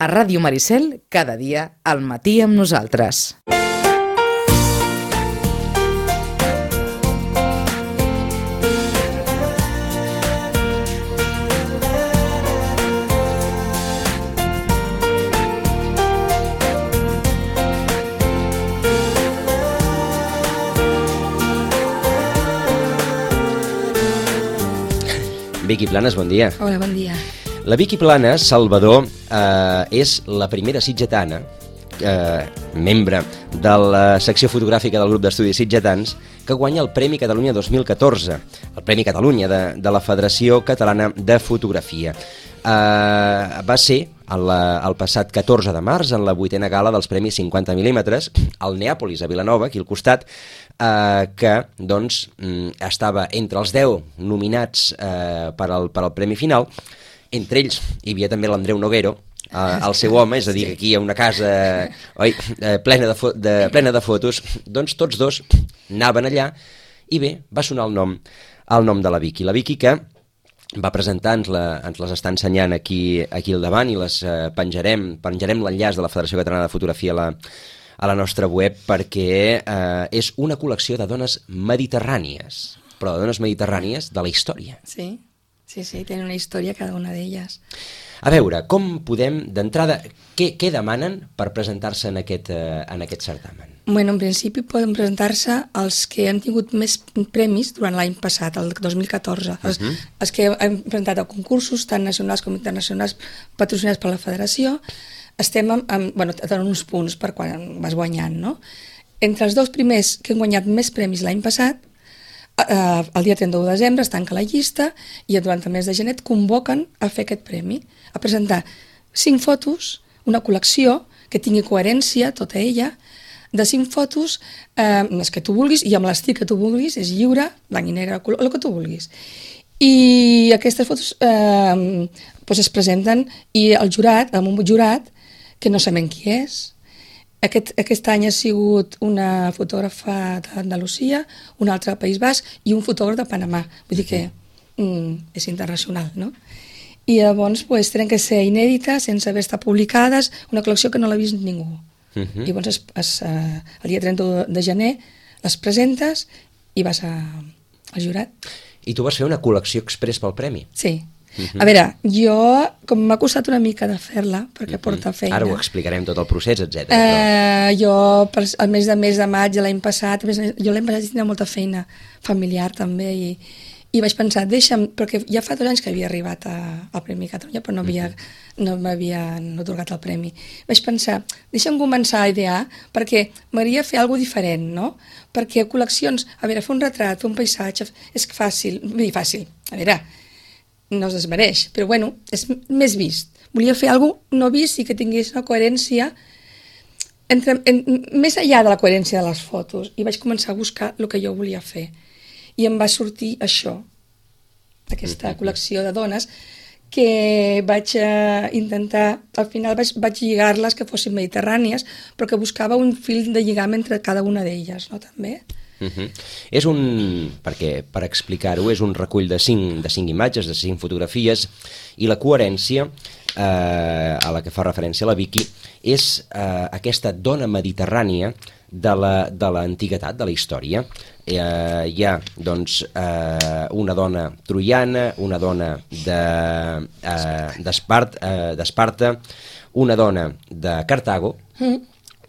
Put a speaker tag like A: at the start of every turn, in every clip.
A: A Ràdio Maricel, cada dia, al matí amb nosaltres.
B: Vicky Planas, bon dia.
C: Hola, bon dia.
B: La Vicky Planas, Salvador, és la primera sitgetana, membre de la secció fotogràfica del grup d'estudis sitgetans, que guanya el Premi Catalunya 2014, el Premi Catalunya de la Federació Catalana de Fotografia. Va ser el passat 14 de març, en la 8a gala dels Premis 50 mil·límetres, al Neàpolis, a Vilanova, aquí al costat, que doncs, estava entre els 10 nominats per al Premi Final. Entre ells hi havia també l'Andreu Noguero, el seu home, és a dir, aquí hi ha una casa plena de fotos. Doncs tots dos anaven allà i bé, va sonar el nom de la Vicky. La Vicky que va presentar, ens les està ensenyant aquí al davant i les penjarem l'enllaç de la Federació Catalana de Fotografia a la nostra web, perquè és una col·lecció de dones mediterrànies, però de dones mediterrànies de la història.
C: Sí, tenen una història cada una d'elles.
B: A veure, com podem, d'entrada, què demanen per presentar-se en aquest certamen?
C: Bueno, en principi poden presentar-se els que han tingut més premis durant l'any passat, el 2014. Els que han presentat a concursos, tant nacionals com internacionals, patrocinats per la Federació. Estem en uns punts per quan vas guanyant, no? Entre els dos primers que han guanyat més premis l'any passat, el dia 31 de desembre es tanca la llista i durant el mes de gener et convoquen a fer aquest premi, a presentar 5 fotos, una col·lecció que tingui coherència, tota ella, de 5 fotos, les que tu vulguis i amb l'estil que tu vulguis, és lliure, blanc i negre, color, el que tu vulguis. I aquestes fotos es presenten i el jurat, amb un jurat que no sabem qui és. Aquest any ha sigut una fotògrafa d'Andalusia, una altra del País Basc i un fotògraf de Panamà. Vull dir que és internacional, no? I llavors tenen que ser inèdites, sense haver estat publicades, una col·lecció que no l'ha vist ningú. I llavors el dia 31 de gener les presentes i vas al jurat.
B: I tu vas fer una col·lecció express pel premi?
C: Sí. A veure, jo, com m'ha costat una mica de fer-la, perquè porta feina...
B: Ara ho explicarem tot el procés, etc.
C: Jo, el mes de maig de l'any passat, jo l'any passat tenia molta feina familiar també, i vaig pensar, deixa'm, perquè ja fa 2 anys que havia arribat al Premi Catalunya, però no m'havien atorgat el premi. Vaig pensar, deixa'm començar a idear, perquè m'agradaria fer alguna cosa diferent, no? Perquè col·leccions, a veure, fer un retrat, fer un paisatge, és fàcil, a veure, no es desmereix, però bueno, és més vist. Volia fer alguna cosa no vist i que tingués una coherència més enllà de la coherència de les fotos, i vaig començar a buscar el que jo volia fer. I em va sortir això, aquesta col·lecció de dones, que vaig intentar, al final vaig lligar-les que fossin mediterrànies, però que buscava un fil de lligam entre cada una d'elles, no, també?
B: És perquè per explicar-ho, és un recull de 5 imatges, de 5 fotografies, i la coherència a la que fa referència la Vicky és aquesta dona mediterrània de l'antiguitat, de la història. Hi ha doncs una dona troiana, una dona d'Esparta, una dona de Cartago,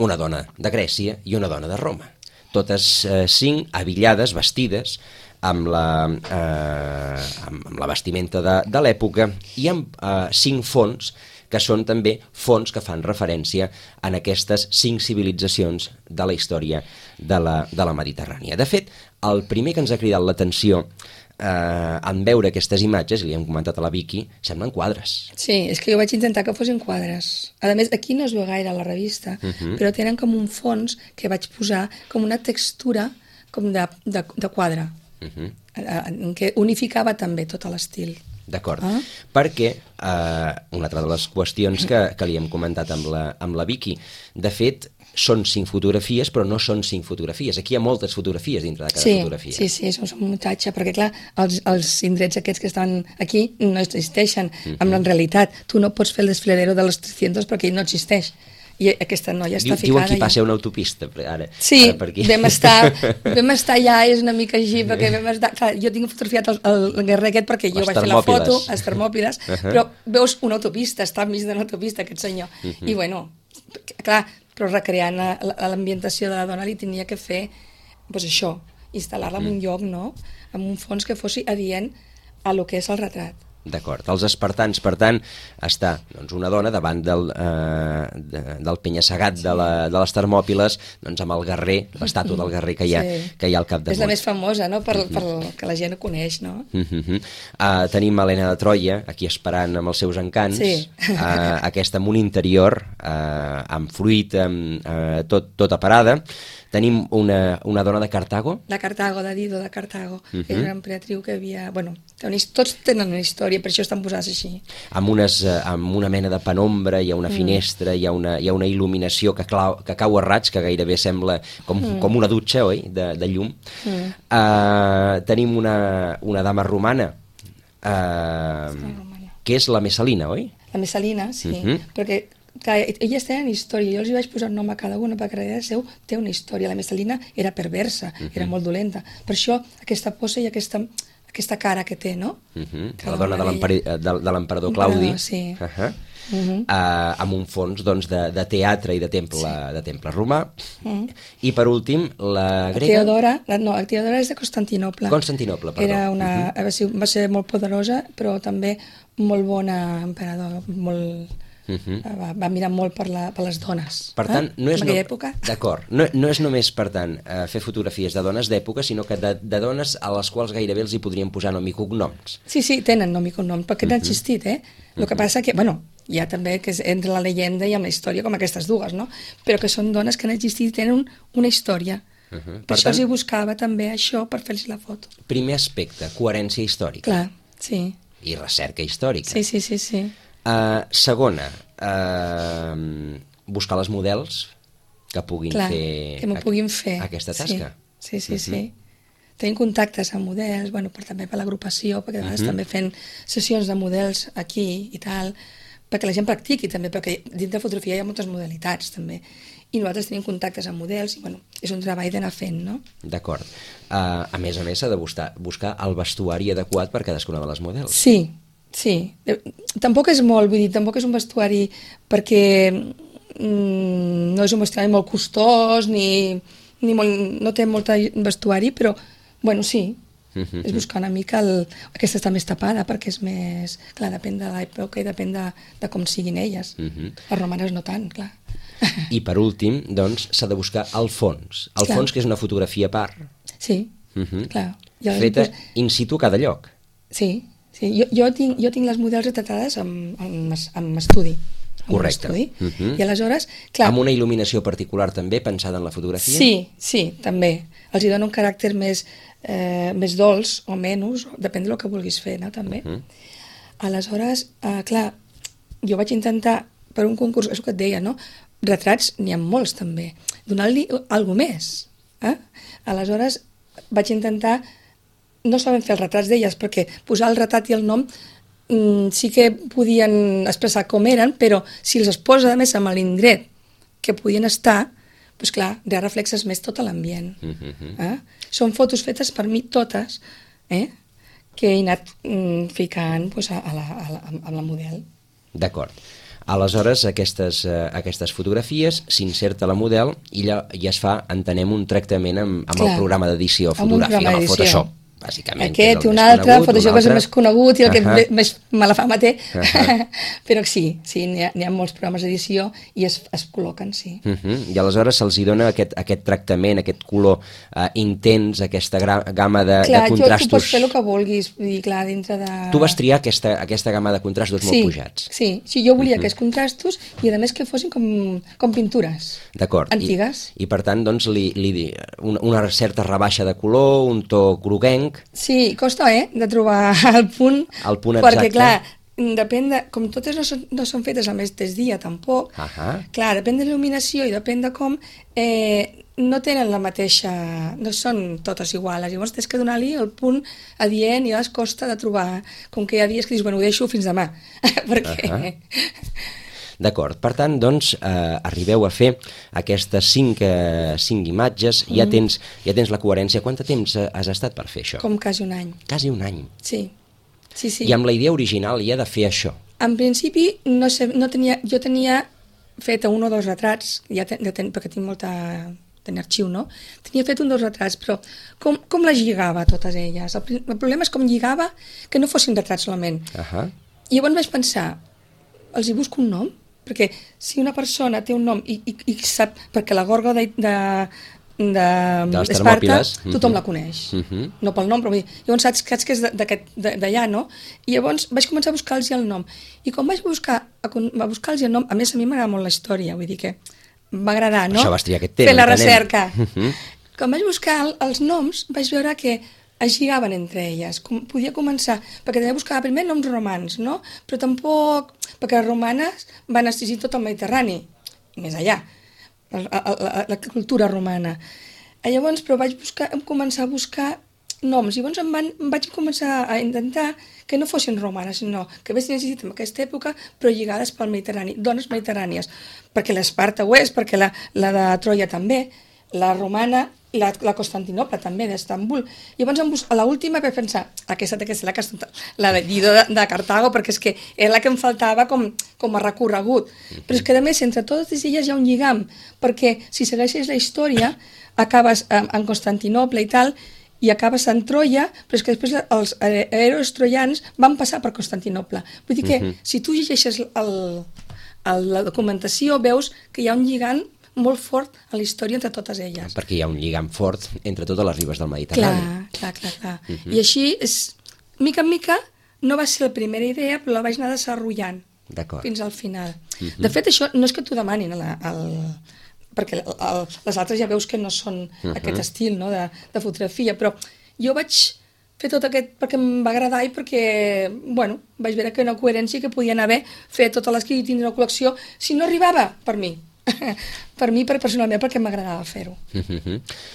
B: una dona de Grècia i una dona de Roma. Totes 5 abillades, vestides, amb la vestimenta de l'època, i amb 5 fons que són també fons que fan referència a aquestes 5 civilitzacions de la història de la Mediterrània. De fet, el primer que ens ha cridat l'atenció en veure aquestes imatges, i li hem comentat a la Vicky, semblen quadres.
C: Sí, és que jo vaig intentar que fossin quadres. A més, aquí no es veu gaire a la revista, però tenen com un fons que vaig posar com una textura com de quadre, que unificava també tot l'estil.
B: D'acord, perquè una altra de les qüestions que li hem comentat amb la Vicky, de fet, són 5 fotografies, però no són 5 fotografies. Aquí hi ha moltes fotografies dintre de cada fotografia.
C: Sí, és un muntatge, perquè clar, els indrets aquests que estan aquí no existeixen en la realitat. Tu no pots fer el desfiladero de los 300 perquè ell no existeix. I aquesta noia està ficada...
B: Diuen que hi passa una autopista, ara.
C: Sí,
B: ara per aquí.
C: vam estar ja, és una mica així, perquè vam estar... Clar, jo tinc fotografiat el guerrer aquest perquè jo vaig fer la foto, les Termòpiles, però veus una autopista, està enmig d'una autopista aquest senyor. I bueno, clar, però recreant l'ambientació de la dona li tenia que fer, doncs això, instal·lar-la en un lloc, no?, amb un fons que fos adient a lo que és el retrat.
B: D'acord. Els espartans, per tant, està doncs, una dona davant del penya-segat de les Termòpiles, doncs, amb el guerrer, l'estàtua del guerrer que hi ha al capdamunt.
C: És la més famosa, no?, per que la gent ho coneix, no?
B: Tenim Helena de Troia, aquí esperant amb els seus encants, aquesta amb un interior amb fruit, tota parada. Tenim una dona de Cartago.
C: La Cartago, de Dido, de Cartago. És una emperadriu que havia... Bueno, tots tenen una història, per això estan posats així.
B: Amb una mena de penombra, hi ha una finestra, hi ha una il·luminació que cau a raig, que gairebé sembla com una dutxa, oi?, de llum. Tenim una dama romana, que és la Messalina, oi?
C: La Messalina, sí, perquè... Clar, elles tenen història, jo els vaig posar un nom a cada una perquè darrere seu té una història. La Messalina era perversa, era molt dolenta, per això aquesta posa i aquesta cara que té, no?
B: La dona de l'emperador Claudi, amb un fons de teatre i de temple romà. I per últim la grega...
C: La Teodora és de Constantinoble.
B: Constantinople, perdó.
C: Va ser molt poderosa, però també molt bona emperador, molt... Va mirar molt per les dones.
B: Per tant, no és...
C: En aquella època.
B: D'acord. No és només, per tant, fer fotografies de dones d'època, sinó que de dones a les quals gairebé els hi podríem posar nom i cognoms.
C: Sí, tenen nom i cognoms, perquè han existit, El que passa que, bueno, hi ha també que és entre la llegenda i amb la història, com aquestes dues, no? Però que són dones que han existit i tenen una història. Per això els hi buscava també això per fer-los la foto.
B: Primer aspecte, coherència històrica.
C: Clar, sí.
B: I recerca històrica.
C: Sí.
B: Segona, buscar les models que puguin fer aquesta tasca.
C: Sí. Tenim contactes amb models, també per l'agrupació, perquè a vegades també fent sessions de models aquí i tal, perquè la gent practiqui també, perquè dins de fotografia hi ha moltes modalitats també. I nosaltres tenim contactes amb models i és un treball d'anar fent, no?
B: D'acord. A més s'ha de buscar el vestuari adequat per cadascuna de les models.
C: Sí, tampoc és molt, vull dir, tampoc és un vestuari perquè no és un vestuari molt costós no té molt vestuari, però, sí, és buscar una mica aquesta està més tapada perquè és més, clar, depèn de l'època i depèn de com siguin elles. Les romanes no tant, clar.
B: I per últim, doncs, s'ha de buscar el fons. El fons, que és una fotografia a part.
C: Sí, clar.
B: Feta in situ a cada lloc.
C: Sí. Jo tinc les models retratades amb estudi.
B: Correcte.
C: I aleshores, clar...
B: Amb una il·luminació particular també, pensada en la fotografia?
C: Sí, també. Els hi dona un caràcter més dolç o menys, depèn del que vulguis fer, no, també. Aleshores, clar, jo vaig intentar, per un concurs, és el que et deia, no? Retrats n'hi ha molts, també. Donar-li alguna més. Aleshores, vaig intentar... No sabem fer els retrats d'elles, perquè posar el retrat i el nom sí que podien expressar com eren, però si els es posa, a més, amb l'indret que podien estar, doncs clar, ja reflexes més tot l'ambient. Són fotos fetes per mi totes, que he anat ficant a la model.
B: D'acord. Aleshores, aquestes fotografies s'inserta la model i ja es fa, entenem, un tractament amb el programa d'edició fotogràfica, amb el Photoshop. Bàsicament,
C: aquest i un altre, Photoshop és el més conegut i el que més mala fama té, però sí, n'hi ha molts programes d'edició i es col·loquen, sí.
B: I aleshores se'ls dona aquest tractament, aquest color intens, aquesta gamma de contrastos.
C: Clar, tu pots fer el que vulguis, vull dir, clar, dintre de...
B: Tu vas triar aquesta gamma de contrastos molt pujats.
C: Sí, jo volia aquests contrastos i a més que fossin com pintures antigues.
B: I per tant, doncs, una certa rebaixa de color, un to groguenc, blanc.
C: Sí, costa, de trobar el punt.
B: El punt
C: perquè,
B: exacte.
C: clar, depèn de... Com totes no són fetes al mateix dia, tampoc. Clar, depèn de l'il·luminació i depèn de com... no tenen la mateixa... No són totes iguals. Llavors tens que donar-li el punt adient i a les costa de trobar. Com que hi ha dies que dius, bueno, ho deixo fins demà. Perquè...
B: D'acord, per tant, doncs, arribeu a fer aquestes 5 imatges, ja tens la coherència. Quant de temps has estat per fer això?
C: Com quasi un any.
B: Quasi un any.
C: Sí.
B: I amb la idea original ja de fer això?
C: En principi, jo tenia fet 1 o 2 retrats, perquè tinc molta... tenia arxiu, no? Tenia fet 1 o 2 retrats, però com les lligava totes elles? El problema és com lligava que no fossin retrats solament. I llavors vaig pensar, els hi busco un nom? Perquè si una persona té un nom i sap, perquè la gorga d'Esparta tothom la coneix, no pel nom, però llavors saps que és d'allà, no? I llavors vaig començar a buscar-los el nom. I quan vaig buscar-los el nom, a més a mi m'agrada molt la història, vull dir que m'agradar, no?
B: Això vas triar aquest tema.
C: Fer la recerca. Quan vaig buscar els noms, vaig veure que es lligaven entre elles. Podia començar, perquè també buscava primer noms romans, no? Però tampoc, perquè les romanes van exigir tot el Mediterrani, més allà, la cultura romana. Llavors, però vaig començar a buscar noms, i llavors vaig començar a intentar que no fossin romanes, sinó que haguessin existit en aquesta època, però lligades pel Mediterrani, dones mediterrànies, perquè l'Esparta ho és, perquè la de Troia també, la romana, la Constantinople també, d'Estambul. Llavors, a l'última vaig pensar, aquesta té que ser la de Dido de Cartago, perquè és que era la que em faltava com a recorregut. Però és que, a més, entre totes elles hi ha un lligam, perquè si segueixes la història, acabes en Constantinople i tal, i acabes en Troia, però és que després els herois troians van passar per Constantinople. Vull dir que si tu llegeixes la documentació, veus que hi ha un lligam molt fort a la història entre totes elles.
B: Perquè hi ha un lligam fort entre totes les ribes del Mediterrani.
C: Clar. I així, mica en mica, no va ser la primera idea, però la vaig anar desenvolupant fins al final. De fet, això no és que t'ho demanin, perquè les altres ja veus que no són aquest estil, no, de fotografia, però jo vaig fer tot aquest perquè em va agradar i perquè, bueno, vaig veure que una coherència que podien haver fet totes les que hi tindrien una col·lecció, si no arribava per mi. Per mi, personalment, perquè m'agradava fer-ho.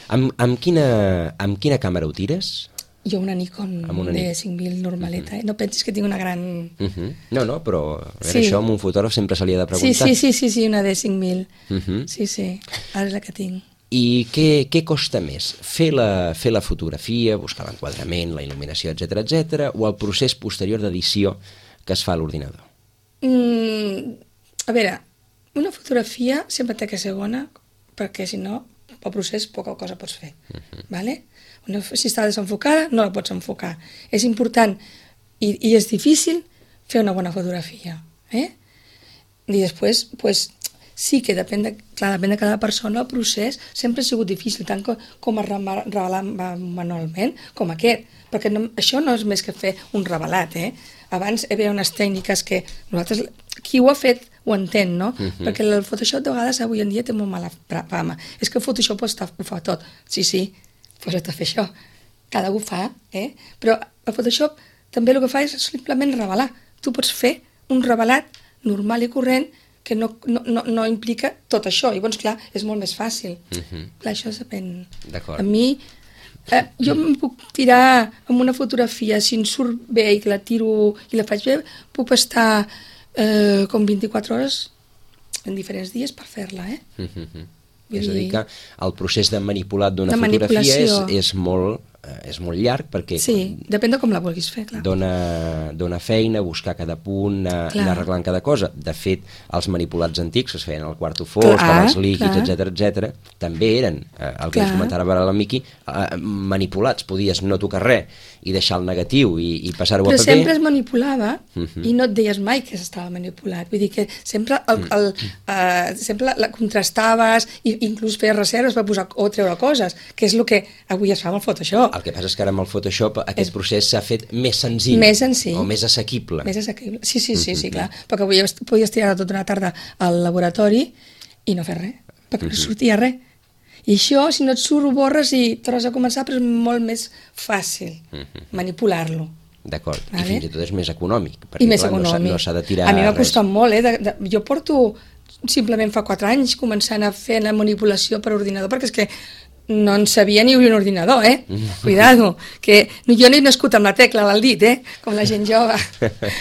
B: Amb quina càmera ho tires?
C: Jo una Nikon D5000 normaleta, no pensis que tinc una gran...
B: No, però això amb un fotògraf sempre se li ha de preguntar.
C: Sí, una D5000. Sí, ara és la que tinc.
B: I què costa més? Fer la fotografia, buscar l'enquadrament, la il·luminació, etc., o el procés posterior d'edició que es fa a l'ordinador?
C: A veure, una fotografia sempre té que ser bona, perquè si no, pel procés poca cosa pots fer. Si està desenfocada, no la pots enfocar. És important i és difícil fer una bona fotografia. I després, sí que depèn de cada persona, el procés sempre ha sigut difícil, tant com a revelar manualment com aquest, perquè això no és més que fer un revelat. Abans hi havia unes tècniques que nosaltres, qui ho ha fet ho entén, no? Perquè el Photoshop de vegades avui en dia té molt mala fama. És que el Photoshop ho fa tot. Sí, posa't a fer això. Cada un ho fa, però el Photoshop també el que fa és simplement revelar. Tu pots fer un revelat normal i corrent que no implica tot això. I llavors, clar, és molt més fàcil. Clar, això depèn.
B: D'acord.
C: A mi, jo em puc tirar amb una fotografia, si em surt bé i que la tiro i la faig bé, puc estar com 24 hores en diferents dies per fer-la,
B: És a dir que el procés de manipulat d'una fotografia és molt llarg perquè...
C: Sí, depèn de com la vulguis fer, clar.
B: Dona feina, buscar cada punt, anar arreglant cada cosa. De fet, els manipulats antics que es feien al quarto fosc, amb els líquids, etc., també eren, el que ens comentava ara la Miqui, manipulats. Podies no tocar res i deixar el negatiu i passar-ho a paper.
C: Però sempre es manipulava i no et deies mai que s'estava manipulat. Vull dir que sempre la contrastaves i inclús feies reserves per posar o treure coses, que és el que avui es fa amb el Photoshop.
B: El que passa és que ara amb el Photoshop aquest procés s'ha fet més senzill. O més assequible.
C: Sí, clar. Perquè avui podies tirar tota una tarda al laboratori i no fer res, perquè no sortia res. I això, si no et surt, ho borres i tornes a començar, però és molt més fàcil manipular-lo.
B: D'acord,
C: Vale.
B: i fins i tot és més econòmic, perquè
C: I més
B: clar,
C: econòmic.
B: no s'ha de tirar
C: a mi m'ha
B: res.
C: costat molt, jo porto simplement fa 4 anys començant a fer la manipulació per ordinador, perquè és que no en sabia ni obrir un ordinador, Cuidado, que jo no he nascut amb la tecla al dit, com la gent jove.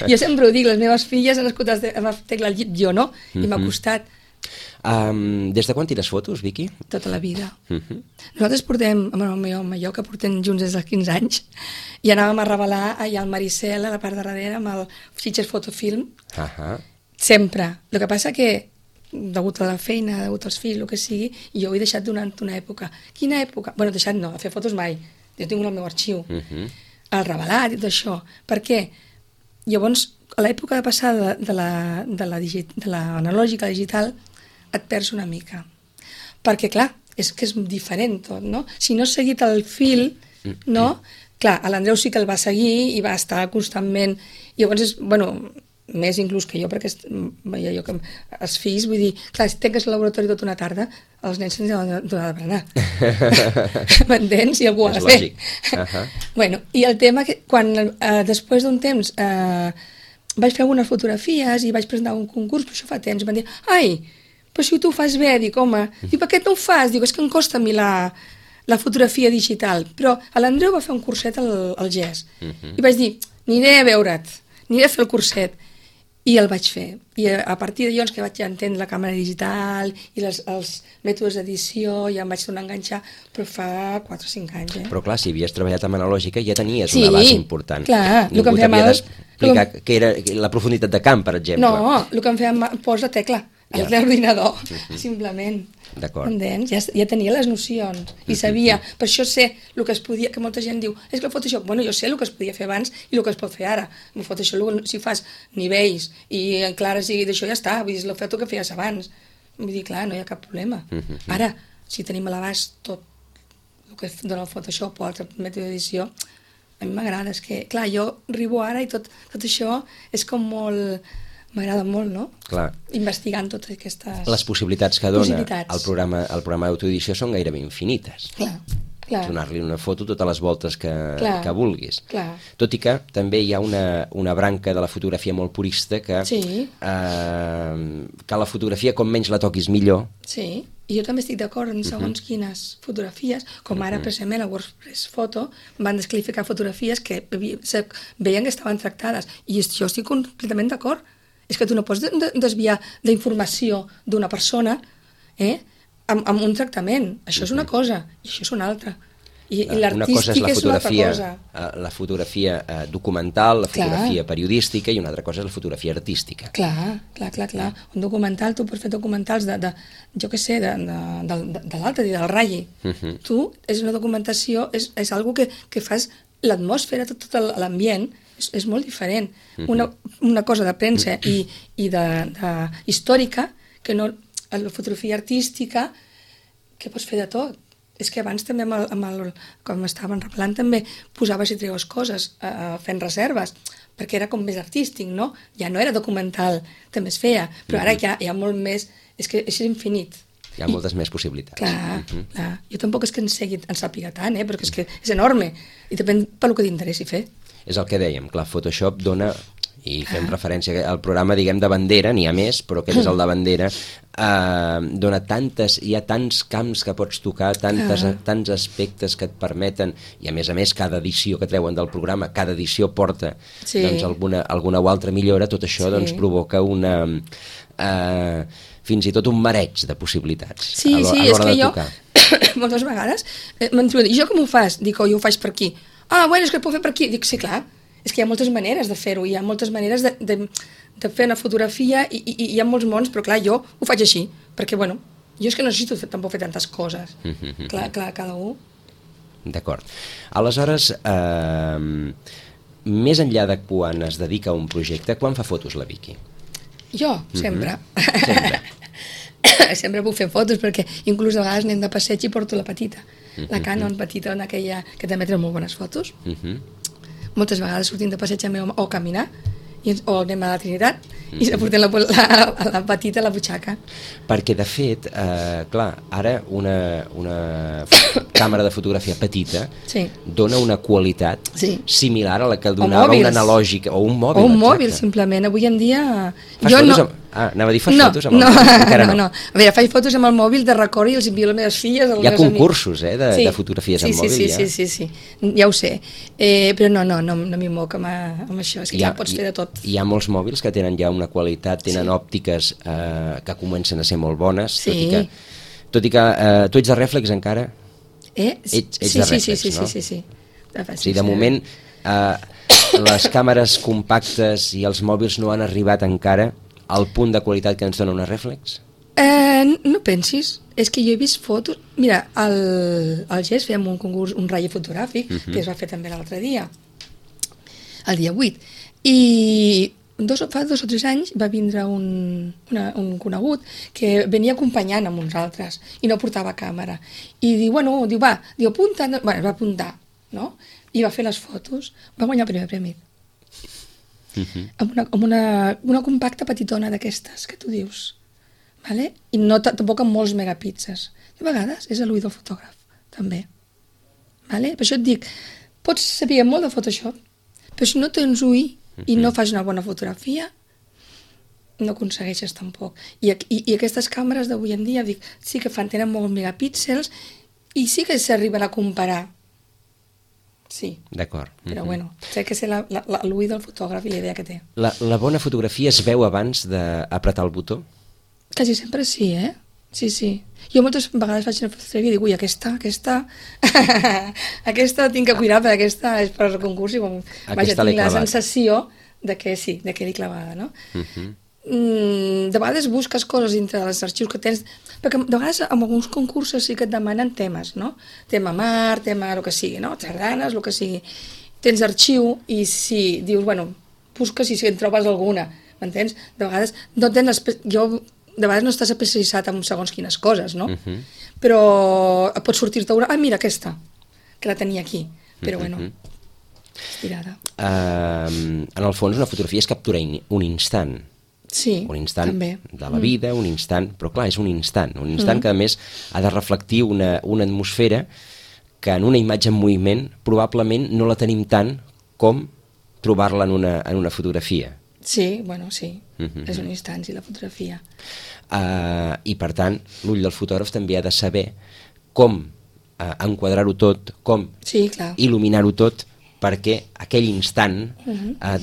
C: Jo sempre ho dic, les meves filles han nascut amb la tecla al dit, jo no, i m'ha costat
B: Des de quan tires fotos, Vicky?
C: tota la vida. Nosaltres portem, amb el meu home i jo, que portem junts des dels 15 anys, i anàvem a revelar allà al Maricel, a la part de darrere, amb el Sitges Fotofilm, sempre. El que passa que, degut a la feina, degut als fills, el que sigui, jo ho he deixat durant una època. Quina època? Bueno, deixat no, a fer fotos mai. Jo tinc el meu arxiu. El revelat i tot això. Per què? Llavors, a l'època de passada de l'analògica a la digital, et perds una mica. Perquè, clar, és que és diferent tot, no? Si no has seguit el fil, no? Clar, l'Andreu sí que el va seguir i va estar constantment... Llavors, és, bueno, més inclús que jo, perquè veia jo que els fills, vull dir, clar, si tanques el laboratori tota una tarda, els nens se'ns han de donar de berenar. M'entens? I algú ha de fer.
B: És lògic.
C: Bueno, i el tema que quan després d'un temps vaig fer algunes fotografies i vaig presentar un concurs, però això fa temps, van dir, ai, però si tu ho fas bé, dic, home, dic, per què no ho fas? Dic, és que em costa a mi la fotografia digital, però l'Andreu va fer un curset al GES i vaig dir, aniré a veure't, aniré a fer el curset, i el vaig fer. I a partir de llavors que vaig entendre la càmera digital i els mètodes d'edició, ja em vaig tornar a enganxar, però fa 4 o 5 anys.
B: Però clar, si havies treballat amb analògica ja tenies
C: Sí,
B: una base important.
C: clar, el que
B: Ningú
C: em feia
B: t'havia
C: mal-
B: d'explicar què era la profunditat de camp, per exemple.
C: No, el que em feia posa tecla a l'ordinador, simplement.
B: D'acord.
C: Entens? Ja tenia les nocions i sabia, per això sé el que es podia, que molta gent diu, és que el Photoshop, bueno, jo sé el que es podia fer abans i el que es pot fer ara. El Photoshop, si fas nivells i en clares i d'això ja està, vull dir, és el que feies abans. Vull dir, clar, no hi ha cap problema. Ara, si tenim a l'abast tot el que dona el Photoshop o altre mètode d'edició, a mi m'agrada, és que, clar, jo arribo ara i tot això és com molt... M'agrada molt, no?
B: Clar.
C: Investigant totes aquestes...
B: Les possibilitats que dona
C: Possibilitats.
B: el programa d'autoedició són gairebé infinites.
C: Clar.
B: Donar-li una foto totes les voltes que vulguis.
C: Clar.
B: Tot i que també hi ha una branca de la fotografia molt purista que la fotografia com menys la toquis millor.
C: Sí, i jo també estic d'acord en segons quines fotografies, com ara precisament a WordPress Photo van descalificar fotografies que veien que estaven tractades, i jo estic completament d'acord. És que tu no pots desviar d'informació d'una persona amb un tractament. Això és una cosa i això és una altra. I l'artístic és una altra cosa.
B: La fotografia documental, la fotografia periodística, i una altra cosa és la fotografia artística.
C: Clar. Un documental, tu pots fer documentals jo què sé, de l'altre dia, del Rayi. Tu, és una documentació, és algo que fas l'atmosfera, tot l'ambient, és molt diferent. Una cosa de premsa i històrica, que no, la fotografia artística, que pots fer de tot. És que abans també, com estaven revelant, també posaves i treues coses fent reserves, perquè era com més artístic, no? Ja no era documental, també es feia, però ara ja hi ha molt més... És que és infinit.
B: Hi ha moltes més possibilitats.
C: Clar. Jo tampoc és que en sàpiga tant, perquè és que és enorme, i depèn pel que t'interessi fer.
B: És el que dèiem, clar, Photoshop dona, i fem referència al programa, diguem, de bandera, n'hi ha més, però aquest és el de bandera, dona hi ha tants camps que pots tocar, tants aspectes que et permeten, i a més, cada edició que treuen del programa, cada edició porta alguna o altra millora, tot això provoca fins i tot un mareig de possibilitats a l'hora de tocar.
C: Moltes vegades m'han dit, jo com ho fas? Dic, jo ho faig per aquí. És que ho puc fer per aquí. Dic, sí, clar, és que hi ha moltes maneres de fer-ho, hi ha moltes maneres de fer una fotografia i hi ha molts mons, però clar, jo ho faig així, perquè, jo és que no necessito tampoc fer tantes coses. Clar, cada un.
B: D'acord. Aleshores, més enllà de quan es dedica a un projecte, quan fa fotos la Vicky?
C: Jo, sempre. Sempre puc fer fotos, perquè inclús a vegades anem de passeig i porto la petita. La Canon petita, aquella que també treu molt bones fotos. Moltes vegades sortim de passeig o caminar o anem a la Trinitat i se portem la petita a la butxaca.
B: Perquè, de fet, clar, ara una càmera de fotografia petita dona una qualitat similar a la que donava una analògica o un mòbil.
C: O un mòbil, simplement. Avui en dia...
B: Fas fotos amb... anava a dir, fas fotos amb el mòbil? Encara no.
C: A veure, faig fotos amb el mòbil de record i els envio a les meves filles.
B: Hi ha concursos, de fotografies amb mòbil.
C: Sí, ja ho sé. Però no m'hi moc amb això, és que ja pots fer de tot.
B: Hi ha molts mòbils que tenen ja una qualitat, tenen òptiques que comencen a ser molt bones, tot i que tu ets de rèflex encara? Ets de rèflex, no? Sí. De moment, les càmeres compactes i els mòbils no han arribat encara al punt de qualitat que ens dona una rèflex?
C: No pensis, és que jo he vist fotos... Mira, al GES fèiem un concurs, un ratll fotogràfic, que es va fer també l'altre dia, el dia 8, i fa 2 o 3 anys va vindre un conegut que venia acompanyant amb uns altres i no portava càmera. I diu, apunta, bueno, va apuntar, no? I va fer les fotos, va guanyar el primer premi. Amb una compacta petitona d'aquestes que tu dius, vale? I no tampoc amb molts megapíxels. De vegades és l'ull del fotògraf, també. Vale? Per això et dic, pots saber molt de Photoshop, però si no tens ull i no fas una bona fotografia, no aconsegueixes tampoc. I aquestes càmeres d'avui en dia, dic, sí que tenen molts megapíxels i sí que s'arriben a comparar. Sí.
B: D'acord.
C: Però bueno, sé que és l'ull del fotògraf i la idea que té.
B: La bona fotografia es veu abans d'apretar el botó?
C: Quasi sempre sí, Sí. Jo moltes vegades faig una fotografia i dic, ui, aquesta tinc que cuidar, perquè aquesta és per al concurs i tinc la sensació de que sí, de que l'he clavada, no? De vegades busques coses dintre dels arxius que tens, perquè de vegades en alguns concursos sí que et demanen temes, no? Tema mar, tema el que sigui, no? Sardanes, el que sigui. Tens arxiu i si dius, busques i si en trobes alguna, m'entens? De vegades no tens de vegades no estàs especialitzat en segons quines coses, no? Però pots sortir-te una... mira aquesta, que la tenia aquí. Però estirada.
B: En el fons, una fotografia és capturar un instant.
C: Sí,
B: un instant
C: també.
B: De la vida, un instant... Però clar, és un instant que a més ha de reflectir una atmosfera que en una imatge en moviment probablement no la tenim tant com trobar-la en una fotografia.
C: Sí, sí. És un instant, sí, la fotografia.
B: I per tant, l'ull del fotògraf també ha de saber com enquadrar-ho tot, com il·luminar-ho tot, perquè aquell instant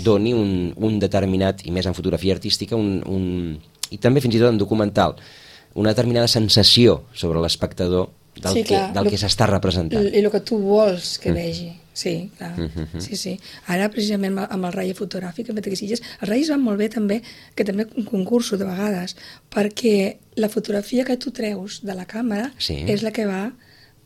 B: doni un determinat, i més en fotografia artística, i també fins i tot en documental, una determinada sensació sobre l'espectador del que s'està representant.
C: I el que tu vols que vegi. Sí, clar. Sí. Ara, precisament, amb el ratll fotogràfic, els ratlls van molt bé també, que també un concurso de vegades, perquè la fotografia que tu treus de la càmera és la que va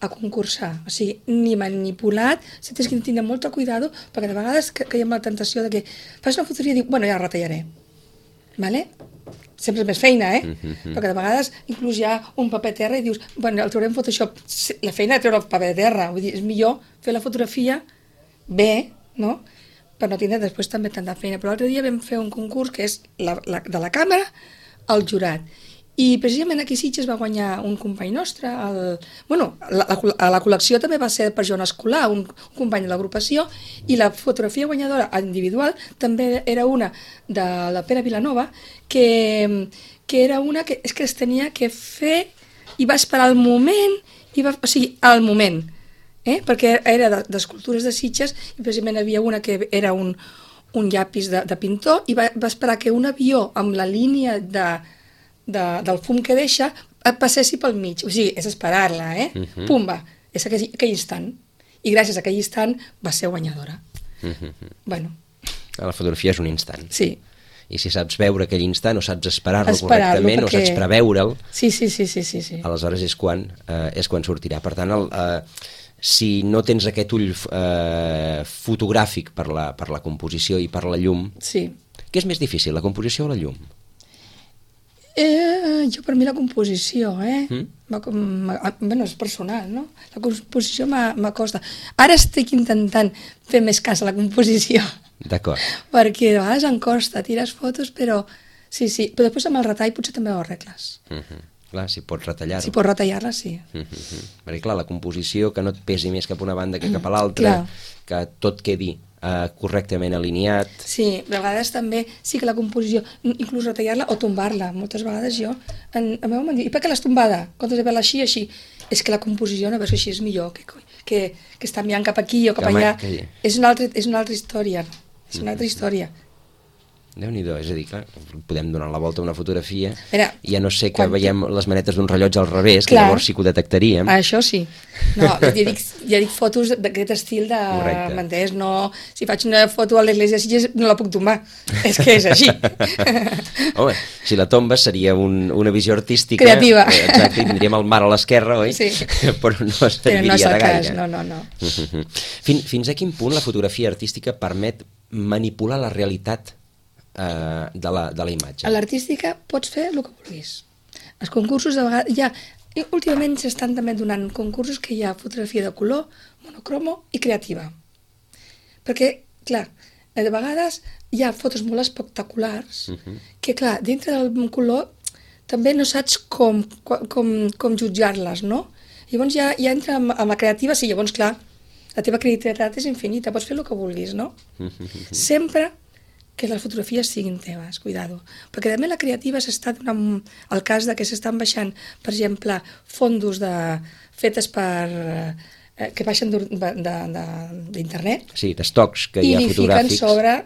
C: a concursar. O sigui, ni manipulat, si tens que tenir molt cuidado, perquè de vegades caiem la tentació de que fas una fotografia i dic, ja la retallaré. Vale? Sempre és més feina, perquè de vegades inclús hi ha un paper terra i dius, el traurem Photoshop. La feina de treure el paper terra, vull dir, és millor fer la fotografia bé, no? Per no tindre després també tanta feina. Però l'altre dia vam fer un concurs que és de la càmera al jurat. I precisament aquí a Sitges va guanyar un company nostre. La col·lecció també va ser per Joan Escolar, un company de l'agrupació, i la fotografia guanyadora individual també era una de la Pere Vilanova, que era una que es tenia que fer i va esperar el moment, el moment, perquè era d'escultures de Sitges i precisament hi havia una que era un llapis de pintor i va esperar que un avió amb la línia del fum que deixa passessi pel mig, o sigui, és esperar-la, pumba, és aquell instant, i gràcies a aquell instant va ser guanyadora.
B: La fotografia és un instant.
C: Sí.
B: I si saps veure aquell instant o saps esperar-lo correctament o saps preveure'l, aleshores és quan sortirà. Per tant, si no tens aquest ull fotogràfic per la composició i per la llum, què és més difícil, la composició o la llum?
C: Jo per mi la composició, és personal, no? La composició m'acosta. Ara estic intentant fer més cas a la composició.
B: D'acord.
C: Perquè a vegades em costa, tires fotos, però... Sí, però després amb el retall potser també ho arregles.
B: Clar, si pots retallar-ho.
C: Si pots retallar-la, sí.
B: Perquè clar, la composició, que no et pesi més cap a una banda que cap a l'altra, que tot quedi correctament alineat.
C: Sí, de vegades també, sí que la composició, inclús retallar-la o tombar-la. Moltes vegades jo, a meu m'han dit, i per què l'has tombada? Quan has de veure-la així, així? És que la composició, no veus que així és millor, que està mirant cap aquí o cap allà. És una altra història, és una altra història.
B: Déu-n'hi-do, és a dir, clar, podem donar la volta a una fotografia i ja no sé que
C: quan
B: veiem les manetes d'un rellotge al revés, que llavors sí que ho detectaríem.
C: Això sí. No, ja dic fotos d'aquest estil de... M'entens? No, si faig una foto a l'església de Sitges no la puc tombar. És que és així.
B: Home, si la tombes seria una visió artística...
C: Creativa.
B: Exacte, i tindríem el mar a l'esquerra, oi?
C: Sí.
B: Però no serviria de gaire.
C: No.
B: Fins a quin punt la fotografia artística permet manipular la realitat de la imatge?
C: A l'artística pots fer el que vulguis. Els concursos de vegades últimament s'estan també donant concursos que hi ha fotografia de color, monocromo i creativa. Perquè, clar, de vegades hi ha fotos molt espectaculars que, clar, dintre del color també no saps com jutjar-les, no? Llavors ja entra amb la creativa, sí, llavors, clar, la teva creativitat és infinita, pots fer el que vulguis, no? Sempre que les fotografies siguin teves, cuidado. Perquè també la creativa s'està donant el cas de que s'estan baixant, per exemple, fondos fetes que baixen d'internet.
B: Sí, d'estocs que hi ha fotogràfics.
C: I li fiquen sobre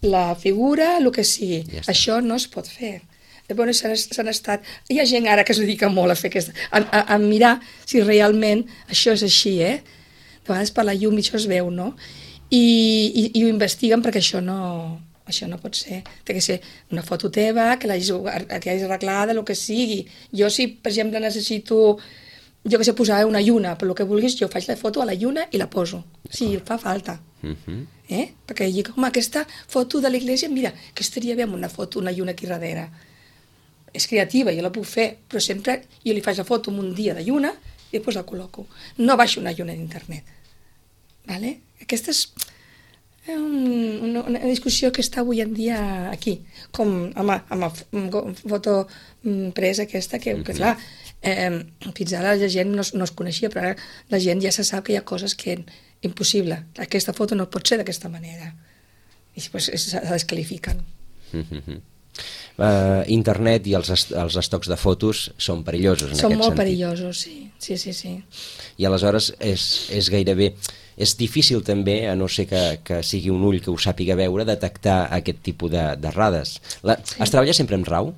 C: la figura, el que sigui. Ja això no es pot fer. Llavors s'han estat... Hi ha gent ara que es dedica molt a fer a mirar si realment això és així, De vegades per la llum això es veu, no? I ho investiguen perquè això no pot ser. Té que ser una foto teva, que l'hagis arreglada, el que sigui. Jo, si, per exemple, necessito, jo que sé, posar una lluna, per el que vulguis, jo faig la foto a la lluna i la poso. Sí, fa falta. Perquè dic, home, aquesta foto de l'església, mira, que estaria bé amb una foto, una lluna aquí darrere. És creativa, jo la puc fer, però sempre jo li faig la foto en un dia de lluna i després la col·loco. No baixo una lluna d'internet. Vale? Aquesta és una discussió que està avui en dia aquí, com amb la foto presa aquesta, que clar, fins ara la gent no es coneixia, però ara la gent ja se sap que hi ha coses que impossible, aquesta foto no pot ser d'aquesta manera, i després se descalifiquen.
B: Internet i els estocs de fotos són perillosos en aquest sentit.
C: Són molt perillosos, sí.
B: I aleshores és gairebé... És difícil també, a no ser que sigui un ull que ho sàpiga veure, detectar aquest tipus d'errades. Es treballa sempre amb RAW?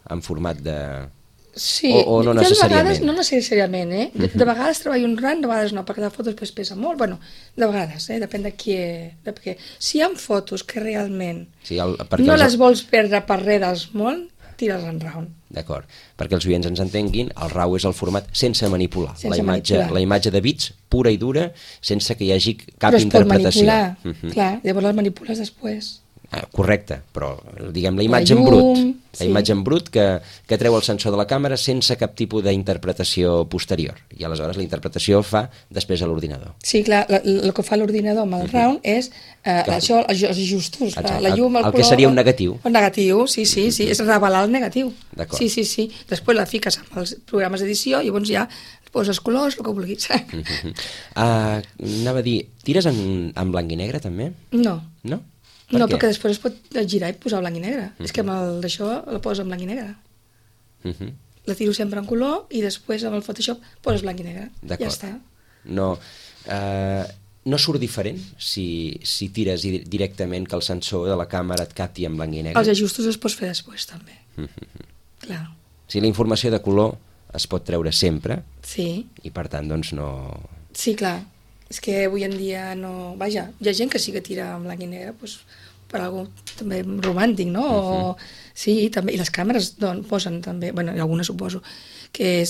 B: En format de...
C: Sí,
B: o no necessàriament?
C: De vegades no necessàriament, De vegades treballo un RAW, de vegades no, perquè la foto després pesa molt. Bueno, de vegades, depèn de qui... Perquè si hi ha fotos que realment no les vols perdre per res del món, tires en RAW.
B: D'acord, perquè els oients ens entenguin, el RAW és el format sense manipular. La imatge de bits pura i dura, sense que hi hagi cap interpretació.
C: Però es pot manipular, clar, llavors les manipules després.
B: Correcte, però diguem la imatge en brut. La imatge en brut que treu el sensor de la càmera sense cap tipus d'interpretació posterior. I aleshores la interpretació fa després a l'ordinador.
C: Sí, clar, el que fa l'ordinador amb el RAW és això, els ajustos, la llum, el color...
B: El que seria un negatiu.
C: Un negatiu, sí, és revelar el negatiu.
B: D'acord.
C: Sí. Després la fiques amb els programes d'edició i llavors ja poses colors, el que vulguis.
B: Anava a dir, tires en blanc i negre també?
C: No.
B: No?
C: No, perquè després es pot girar i posar blanc i negre. És que amb d'això la poses en blanc i negre. La tiro sempre en color i després amb el Photoshop poses blanc i negre. Ja està.
B: No surt diferent si tires directament que el sensor de la càmera et capti en blanc i negre?
C: Els ajustos es pots fer després, també. Clar.
B: Si la informació de color es pot treure sempre,
C: sí.
B: I per tant, doncs no...
C: Sí, clar. És que avui en dia no... Vaja, hi ha gent que sí que tira en blanc i negre, doncs, per algo també romàntic, no? Sí, també, i les càmeres posen també, bueno, algunes suposo, que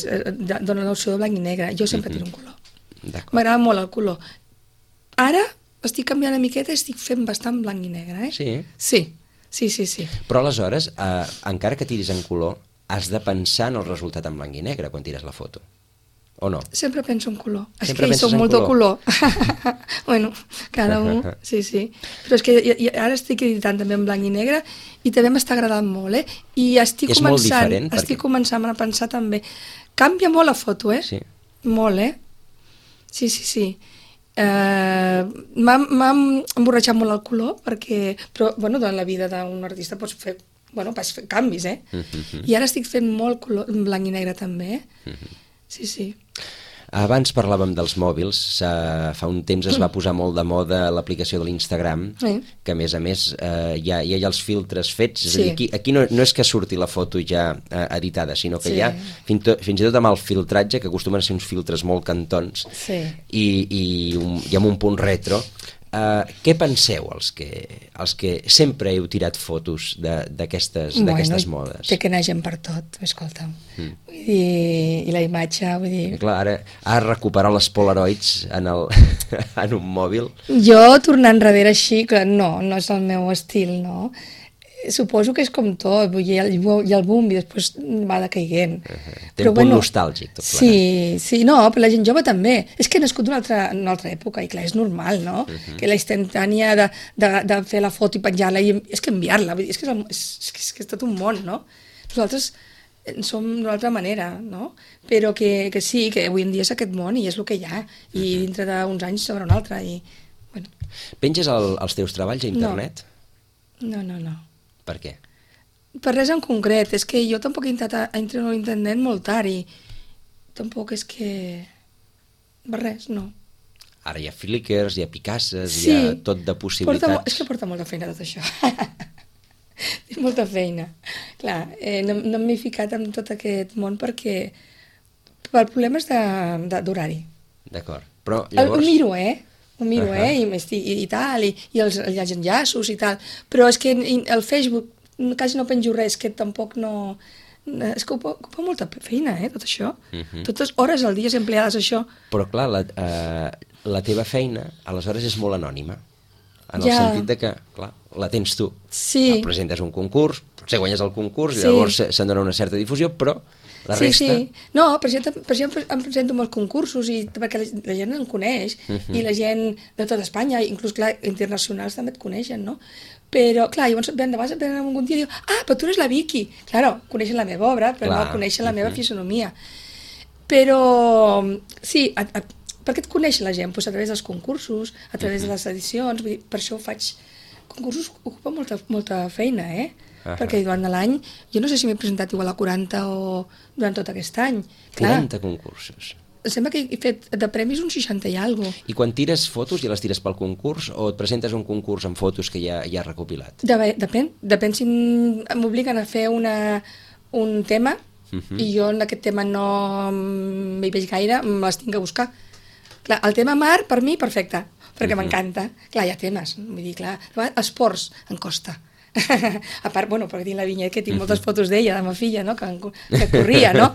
C: donen l'opció de blanc i negre. Jo sempre tiro un color. M'agrada molt el color. Ara estic canviant una miqueta i estic fent bastant blanc i negre, Sí.
B: Però aleshores, encara que tiris en color, has de pensar en el resultat en blanc i negre quan tires la foto. o no?
C: Sempre penso en color. És
B: Sempre
C: que
B: penses
C: soc
B: en
C: molt de
B: color?
C: color. Bueno, cada un, sí. Però és que ara estic editant també en blanc i negre i també m'està agradant molt, I estic
B: És molt diferent,
C: estic començant a pensar també. Canvia molt la foto,
B: Sí.
C: Molt, Sí. M'ha emborratxat molt el color, però, bueno, en la vida d'un artista pots fer canvis, I ara estic fent molt color, en blanc i negre també, Sí.
B: Abans parlàvem dels mòbils, fa un temps es va posar molt de moda l'aplicació de l'Instagram, que a més hi ha els filtres fets, és a dir, aquí no és que surti la foto ja editada, sinó que hi ha fins i tot amb el filtratge, que acostumen a ser uns filtres molt cantons, i amb un punt retro. Què penseu, els que sempre heu tirat fotos d'aquestes modes?
C: Té que anar gent per tot, escolta'm. Vull dir, i la imatge, vull dir...
B: Clar, ara recuperar les Polaroids en un mòbil...
C: Jo, tornar enrere així, clar, no és el meu estil, no? Suposo que és com tot, vull dir, hi ha el boom i després va decaiguent.
B: Té un punt nostàlgic, tot plegat.
C: Sí, no, però la gent jove també. És que he nascut d'una altra època i clar, és normal, no? Que la instantània de fer la foto i penjar-la i és que enviar-la, vull dir, és que és tot un món, no? Nosaltres som d'una altra manera, no? Però que sí, que avui en dia és aquest món i és el que hi ha, i dintre d'uns anys sobre un altre, i bueno.
B: Penges els teus treballs a internet?
C: No.
B: Per què?
C: Per res en concret, és que jo tampoc he intentat entrar a l'internet molt tard i tampoc és que... Per res, no.
B: Ara hi ha Flickrs, hi ha Picasses, hi ha tot de possibilitats.
C: És que porta molta feina tot això. Tinc molta feina. Clar, no m'he ficat en tot aquest món perquè per problemes d'horari.
B: D'acord, però llavors...
C: Ho miro, i tal, i els enllaços i tal, però és que el Facebook quasi no penjo res, que tampoc no... És que ocupa molta feina, tot això. Totes hores al dia empleades això.
B: Però clar, la teva feina aleshores és molt anònima, en el sentit de que, clar, la tens tu.
C: Sí.
B: Presentes un concurs, potser guanyes el concurs i llavors se'n dona una certa difusió, però la resta...
C: Sí. No, per exemple, em presento molts concursos perquè la gent em coneix i la gent de tota Espanya, inclús, clar, internacionals també et coneixen, no? Però, clar, llavors venen algun dia i diuen però tu eres la Vicky. Claro, coneixen la meva obra, però no coneixen la meva fisonomia. Però, sí, per què et coneix la gent? Pues a través dels concursos, a través de les edicions, vull dir, per això faig... Concursos ocupa molta feina, perquè durant l'any, jo no sé si m'he presentat igual a 40 o durant tot aquest any.
B: 40 concursos.
C: Sembla que he fet de premis uns 60 i alguna cosa.
B: I quan tires fotos, ja les tires pel concurs o et presentes un concurs amb fotos que ja has recopilat?
C: Depèn si m'obliguen a fer un tema i jo en aquest tema no m'hi veig gaire, me les tinc que buscar. Clar, el tema mar, per mi, perfecte, perquè m'encanta. Clar, hi ha temes, vull dir, clar, esports, em costa. A part, bueno, perquè tinc la vinyeta que tinc moltes fotos d'ella, de la meva filla, no? que corria, no?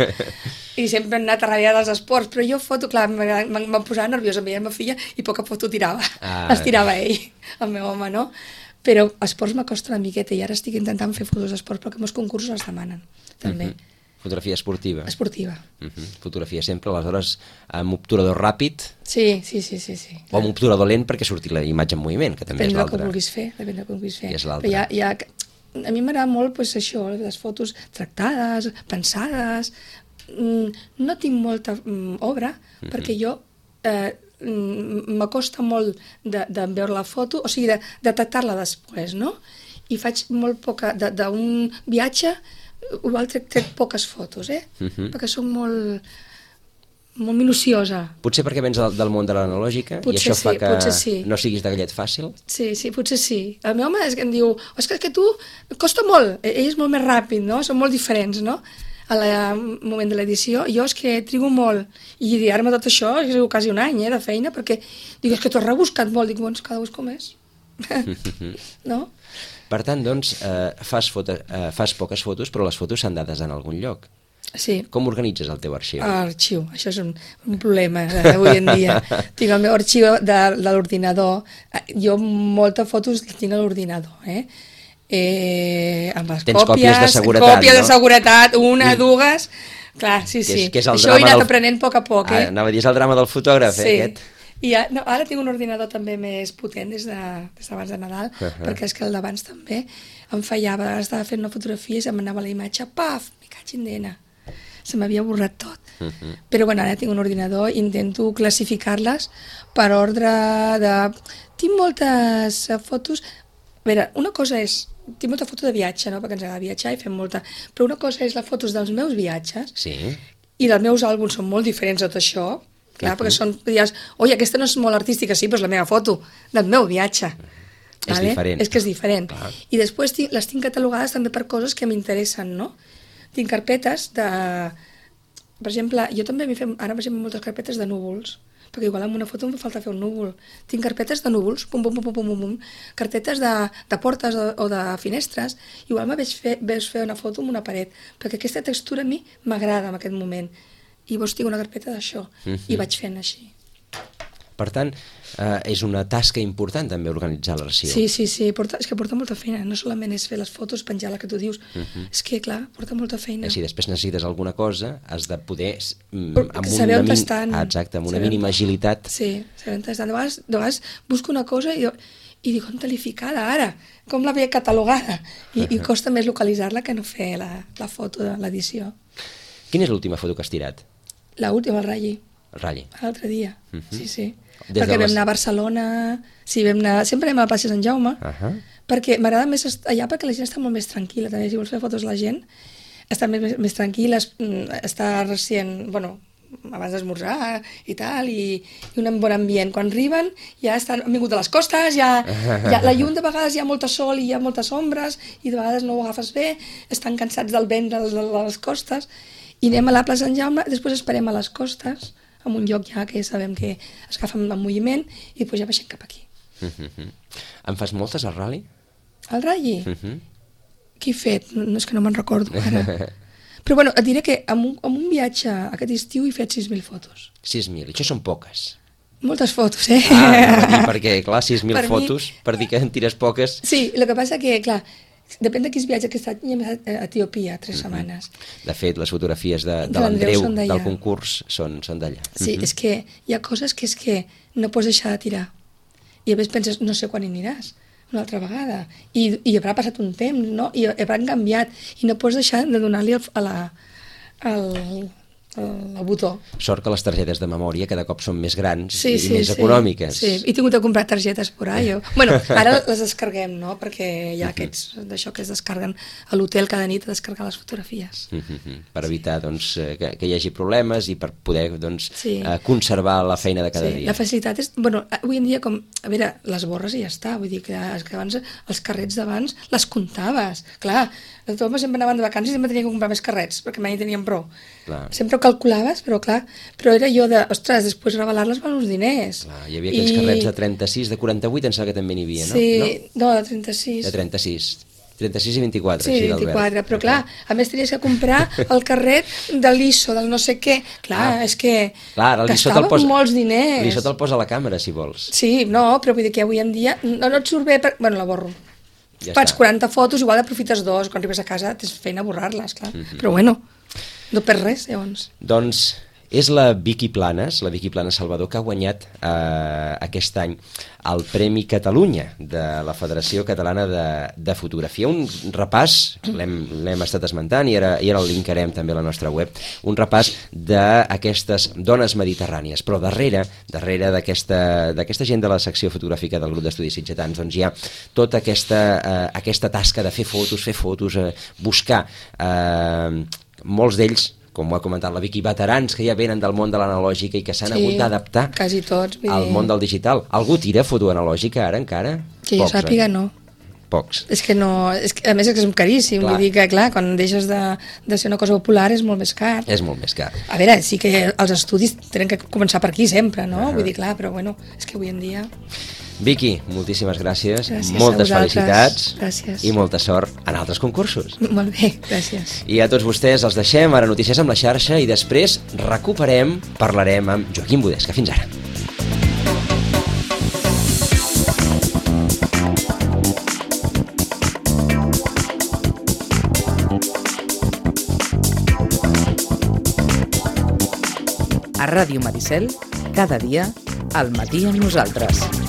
C: I sempre he anat a darrere dels esports, però jo foto, clar, em posava nerviosa, em veia la meva filla i poca foto tirava, les tirava ell, el meu home, no? Però esports m'acosta una miqueta i ara estic intentant fer fotos d'esports perquè molts concursos els demanen, també.
B: Fotografia esportiva.
C: Esportiva.
B: Fotografia sempre, aleshores, amb obturador ràpid.
C: Sí.
B: O amb obturador lent perquè surti la imatge en moviment, que també és l'altra.
C: Depèn del que vulguis fer.
B: És l'altra.
C: A mi m'agrada molt pues, això, les fotos tractades, pensades. No tinc molta obra, perquè jo m'acosta molt de veure la foto, o sigui, de tractar-la després, no? I faig molt poca... D'un viatge... Igual trec poques fotos, perquè soc molt minuciosa.
B: Potser perquè vens del món de l'analògica i això fa que no siguis de gallet fàcil?
C: Sí, potser sí. El meu home em diu, és que tu costa molt, ell és molt més ràpid, no? Són molt diferents, no? Al moment de l'edició, jo és que trigo molt, i dir-me tot això és quasi un any de feina, perquè dic, és que t'ho has rebuscat molt, dic, doncs cada ús com és. No?
B: Per tant, doncs, fas poques fotos, però les fotos s'han dades en algun lloc.
C: Sí.
B: Com organitzes el teu arxiu?
C: Arxiu, això és un problema avui en dia. Tinc el meu arxiu de l'ordinador. Jo moltes fotos les tinc a l'ordinador, amb les
B: còpies de seguretat,
C: de seguretat, una, dues, Clar, sí.
B: Que és el
C: Això ho he
B: drama
C: anat aprenent a poc a poc, eh?
B: Anava a dir, és el drama del fotògraf,
C: Sí.
B: aquest.
C: I ara tinc un ordinador també més potent des d'abans de Nadal, perquè és que el d'abans també em fallava. Ara estava fent una fotografia i se'm anava la imatge, paf, me caig en dena. Se m'havia borrat tot. Però bueno, ara tinc un ordinador, intento classificar-les per ordre de... Tinc moltes fotos... A veure, una cosa és... Tinc molta foto de viatge, no?, perquè ens agrada viatjar i fem molta... Però una cosa és les fotos dels meus viatges,
B: Sí.
C: i els meus àlbums són molt diferents de tot això, clar, perquè són... Dius, oi, aquesta no és molt artística, sí, però és la meva foto del meu viatge.
B: És diferent.
C: És que és diferent.
B: Clar.
C: I després les tinc catalogades també per coses que m'interessen, no? Tinc carpetes de... Per exemple, jo també ara per exemple moltes carpetes de núvols, perquè igual en una foto em fa falta fer un núvol. Tinc carpetes de núvols, pum, pum, pum, pum, pum, pum, carpetes de portes o de finestres. Igual veig fer una foto amb una paret, perquè aquesta textura a mi m'agrada en aquest moment. I llavors tinc una carpeta d'això, i vaig fent així.
B: Per tant, és una tasca important també organitzar l'arxiu.
C: Sí, és que porta molta feina, no solament és fer les fotos, penjar la que tu dius, és que clar, porta molta feina.
B: Si després necessites alguna cosa, has de poder...
C: saber on estan.
B: Exacte, amb una mínima agilitat.
C: Sí, saber on estan. De vegades busco una cosa i dic, on te l'he ficada ara? Com l'havia catalogada? I costa més localitzar-la que no fer la foto de l'edició.
B: Quina és l'última foto que has tirat?
C: L'última, el Ralli.
B: El Ralli.
C: L'altre dia, sí. Perquè vam anar a Barcelona, sempre anem a la plaça Sant Jaume, perquè m'agrada més allà perquè la gent està molt més tranquil·la, també si vols fer fotos la gent, està més tranquil·la, està recient, abans d'esmorzar i tal, i un bon ambient. Quan arriben ja han vingut de les costes, la llum de vegades hi ha molta sol i hi ha moltes ombres, i de vegades no ho agafes bé, estan cansats del vent de les costes, i anem a la plaça Sant Jaume, després esperem a les costes, en un lloc ja que sabem que es agafa amb moviment, i després ja baixem cap aquí.
B: En fas moltes, al Rally?
C: El Ralli? Què he fet? No, és que no me'n recordo ara. Però et diré que amb un viatge aquest estiu he fet 6.000 fotos.
B: 6.000, això són poques.
C: Moltes fotos,
B: Perquè, clar, 6.000 fotos, per dir que en tires poques...
C: Sí, el que passa que, clar, depèn de quins viatges, aquest any hem estat a Etiòpia 3 setmanes.
B: De fet, les fotografies de l'Andreu del concurs són d'allà.
C: Sí, és que hi ha coses que és que no pots deixar de tirar. I a més penses, no sé quan hi aniràs, una altra vegada. I haurà passat un temps, no? I hauran canviat. I no pots deixar de donar-li el botó.
B: Sort que les targetes de memòria cada cop són més grans i més econòmiques.
C: Sí, he tingut de comprar targetes por ahí. Ara les descarguem, no? Perquè hi ha aquests d'això que es descarreguen a l'hotel cada nit a descarregar les fotografies.
B: Per evitar que hi hagi problemes i per poder conservar la feina de cada dia.
C: La facilitat és... Avui en dia, a veure, les borres i ja està. Vull dir que abans els carrets d'abans les comptaves. Clar, tothom sempre anaven de vacances i sempre tenia que comprar més carrets, perquè mai teníem prou. Sempre ho calculaves, però era jo després revelar-les val uns diners.
B: Hi havia aquells carrets de 36, de 48, em sembla que també n'hi havia, no?
C: Sí, no, de 36.
B: De 36. 36 i 24.
C: Sí, 24, però clar, a més tenies que comprar el carret de l'ISO, del no sé què. Clar, és que gastaves molts diners.
B: L'ISO te'l posa a la càmera, si vols.
C: Sí, no, però vull dir que avui en dia no et surt bé... La borro. Fas 40 fotos, igual aprofites 2, quan arribes a casa tens feina a borrar-les, clar. Però no perds res, llavors.
B: Doncs és la Vicky Planas Salvador, que ha guanyat aquest any el Premi Catalunya de la Federació Catalana de Fotografia. Un repàs, l'hem estat esmentant i ara el linkarem també a la nostra web, un repàs d'aquestes dones mediterrànies. Però darrere d'aquesta gent de la secció fotogràfica del grup d'estudis sitgetans, doncs hi ha tota aquesta tasca de fer fotos, buscar molts d'ells, com ho ha comentat la Vicky, veterans que ja venen del món de l'analògica i que s'han hagut d'adaptar al món del digital. Algú tira foto analògica ara encara?
C: Que jo sàpiga, no.
B: Pocs.
C: És que no, a més és caríssim, vull dir que clar, quan deixes de ser una cosa popular és molt més car.
B: És molt més car.
C: A veure, sí que els estudis tenen que començar per aquí sempre, no? Vull dir, clar, però és que avui en dia...
B: Vicky, moltíssimes gràcies, moltes felicitats.
C: Gràcies.
B: I molta sort en altres concursos.
C: Molt bé, gràcies.
B: I a tots vostès els deixem, ara notícies amb la xarxa i després parlarem amb Joaquim Budesca. Fins ara.
A: A Ràdio Maricel, cada dia, al matí amb nosaltres.